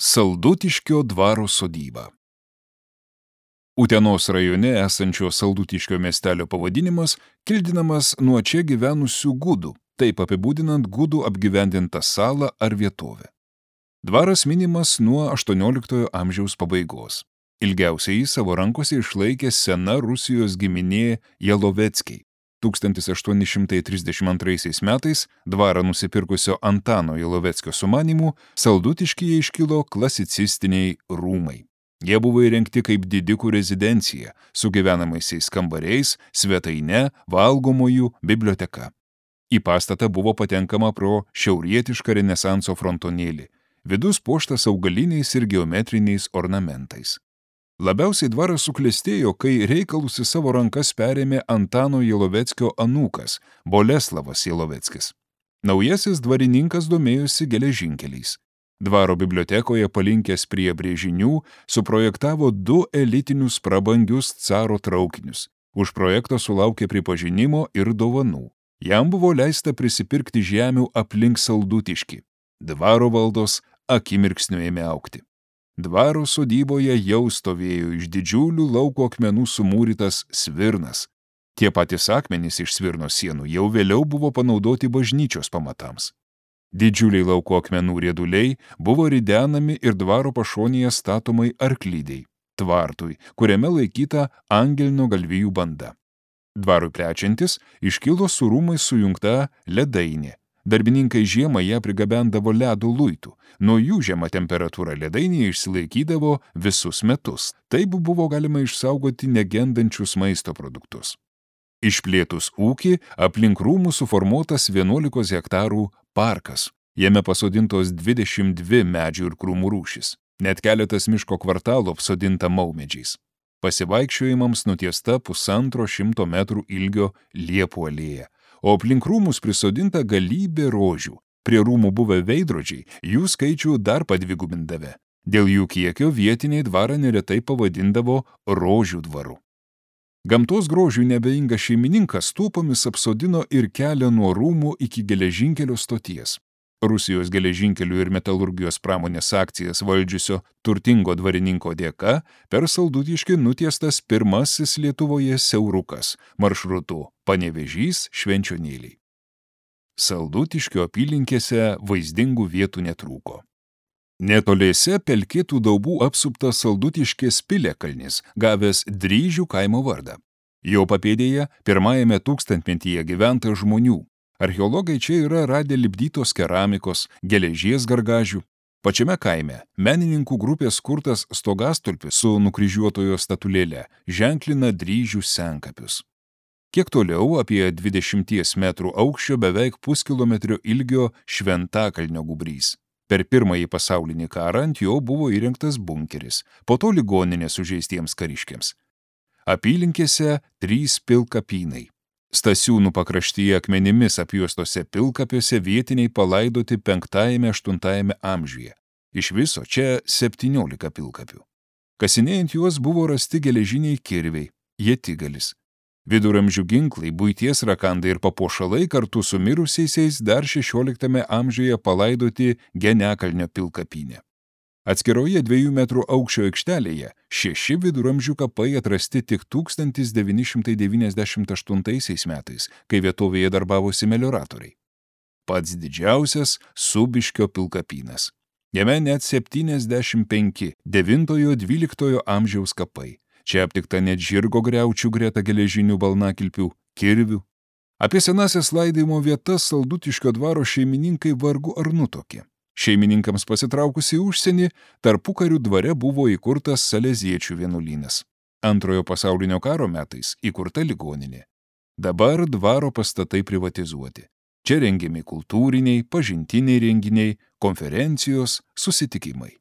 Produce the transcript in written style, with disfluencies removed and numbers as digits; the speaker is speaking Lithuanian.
Saldutiškio dvaro sodyba. Utenos rajone esančio Saldutiškio miestelio pavadinimas kildinamas nuo čia gyvenusių gudų, taip apibūdinant gudų apgyvendintą salą ar vietovę. Dvaras minimas nuo 18 amžiaus pabaigos. Ilgiausiai savo rankose išlaikė sena Rusijos giminė Jaloveckiai. 1832 metais dvarą nusipirkusio Antano Jaloveckio sumanymu Saldutiškyje iškilo klasicistiniai rūmai. Jie buvo įrengti kaip didikų rezidencija, su gyvenamaisiais kambariais, svetaine, valgomojų, biblioteka. Į pastatą buvo patenkama pro šiaurietišką renesanso frontonėlį, vidus puoštas augaliniais ir geometriniais ornamentais. Labiausiai dvaras suklestėjo, kai reikalus į savo rankas perėmė Antano Jaloveckio anūkas, Boleslavas Jaloveckis. Naujasis dvarininkas domėjosi geležinkeliais. Dvaro bibliotekoje palinkęs prie brėžinių suprojektavo 2 elitinius prabangius caro traukinius. Už projektą sulaukė pripažinimo ir dovanų. Jam buvo leista prisipirkti žemių aplink Saldutiškį. Dvaro valdos akimirksniu ėmė augti. Dvaro sodyboje jau stovėjo iš didžiulių lauko akmenų sumūrytas svirnas. Tie patys akmenys iš svirno sienų jau vėliau buvo panaudoti bažnyčios pamatams. Didžiuliai lauko akmenų rieduliai buvo ridenami ir dvaro pašonėje statomai arklydei, tvartui, kuriame laikyta angelino galvijų banda. Dvarui plečiantis iškilo su rūmais sujungta ledainė. Darbininkai žiemą ją prigabendavo ledo luitų. Nuo jų žema temperatūra ledainėje išsilaikydavo visus metus. Taip buvo galima išsaugoti negendančius maisto produktus. Išplėtus ūkį, aplink rūmų suformuotas 11 hektarų parkas. Jame pasodintos 22 medžių ir krūmų rūšis. Net keletas miško kvartalų apsodinta maumedžiais. Pasivaikščiojimams nutiesta 150 metrų ilgio liepų alėja. O aplink rūmus prisodinta galybė rožių. Prie rūmų buvę veidrodžiai jų skaičių dar padvigubindavę. Dėl jų kiekio vietiniai dvarą neretai pavadindavo rožių dvaru. Gamtos grožių nebeingas šeimininkas tūpomis apsodino ir kelią nuo rūmų iki geležinkelio stoties. Rusijos geležinkelių ir metalurgijos pramonės akcijas valdžiusio turtingo dvarininko dėka per Saldutiškį nutiestas pirmasis Lietuvoje siaurukas maršrutu Panevėžys-Švenčionėliai. Saldutiškio apylinkėse vaizdingų vietų netrūko. Netoliese pelkėtų daubų apsuptas Saldutiškės piliakalnis, gavęs Dryžių kaimo vardą. Jo papėdėje pirmajame tūkstantmetyje gyventa žmonių. Archeologai čia yra radę lipdytos keramikos, geležies gargažių. Pačiame kaime menininkų grupės kurtas stogastulpis su nukryžiuotojo statulėle ženklina Dryžių senkapius. Kiek toliau, apie 20 metrų aukščio, beveik puskilometrio ilgio Šventakalnio gūbrys. Per Pirmąjį pasaulinį karą ant jo buvo įrengtas bunkeris, po to ligoninė sužeistiems kariškiams. Apylinkėse 3 pilkapynai. Stasiūnų pakraštyje akmenimis apjuostose pilkapiuose vietiniai palaidoti 5–8 amžiuje. Iš viso čia 17 pilkapių. Kasinėjant juos buvo rasti geležiniai kirviai, ietigalis. Viduramžių ginklai, buities rakandai ir papuošalai kartu su mirusiaisiais dar 16 amžiuje palaidoti Genekalnio pilkapyne. Atskiroje 2 metrų aukščio aikštelėje 6 viduramžių kapai atrasti tik 1998 metais, kai vietovėje darbavosi melioratoriai. Pats didžiausias Subiškio pilkapynas. Jame net 75 9–12 amžiaus kapai. Čia aptikta net žirgo griaučių greta geležinių balnakilpių, kirvių. Apie senasias laidojimo vietas Saldutiškio dvaro šeimininkai vargu ar nutokė. Šeimininkams pasitraukus į užsienį, tarpukarių dvare buvo įkurtas saleziečių vienuolynas. Antrojo pasaulinio karo metais įkurta ligoninė. Dabar dvaro pastatai privatizuoti. Čia rengiami kultūriniai, pažintiniai renginiai, konferencijos, susitikimai.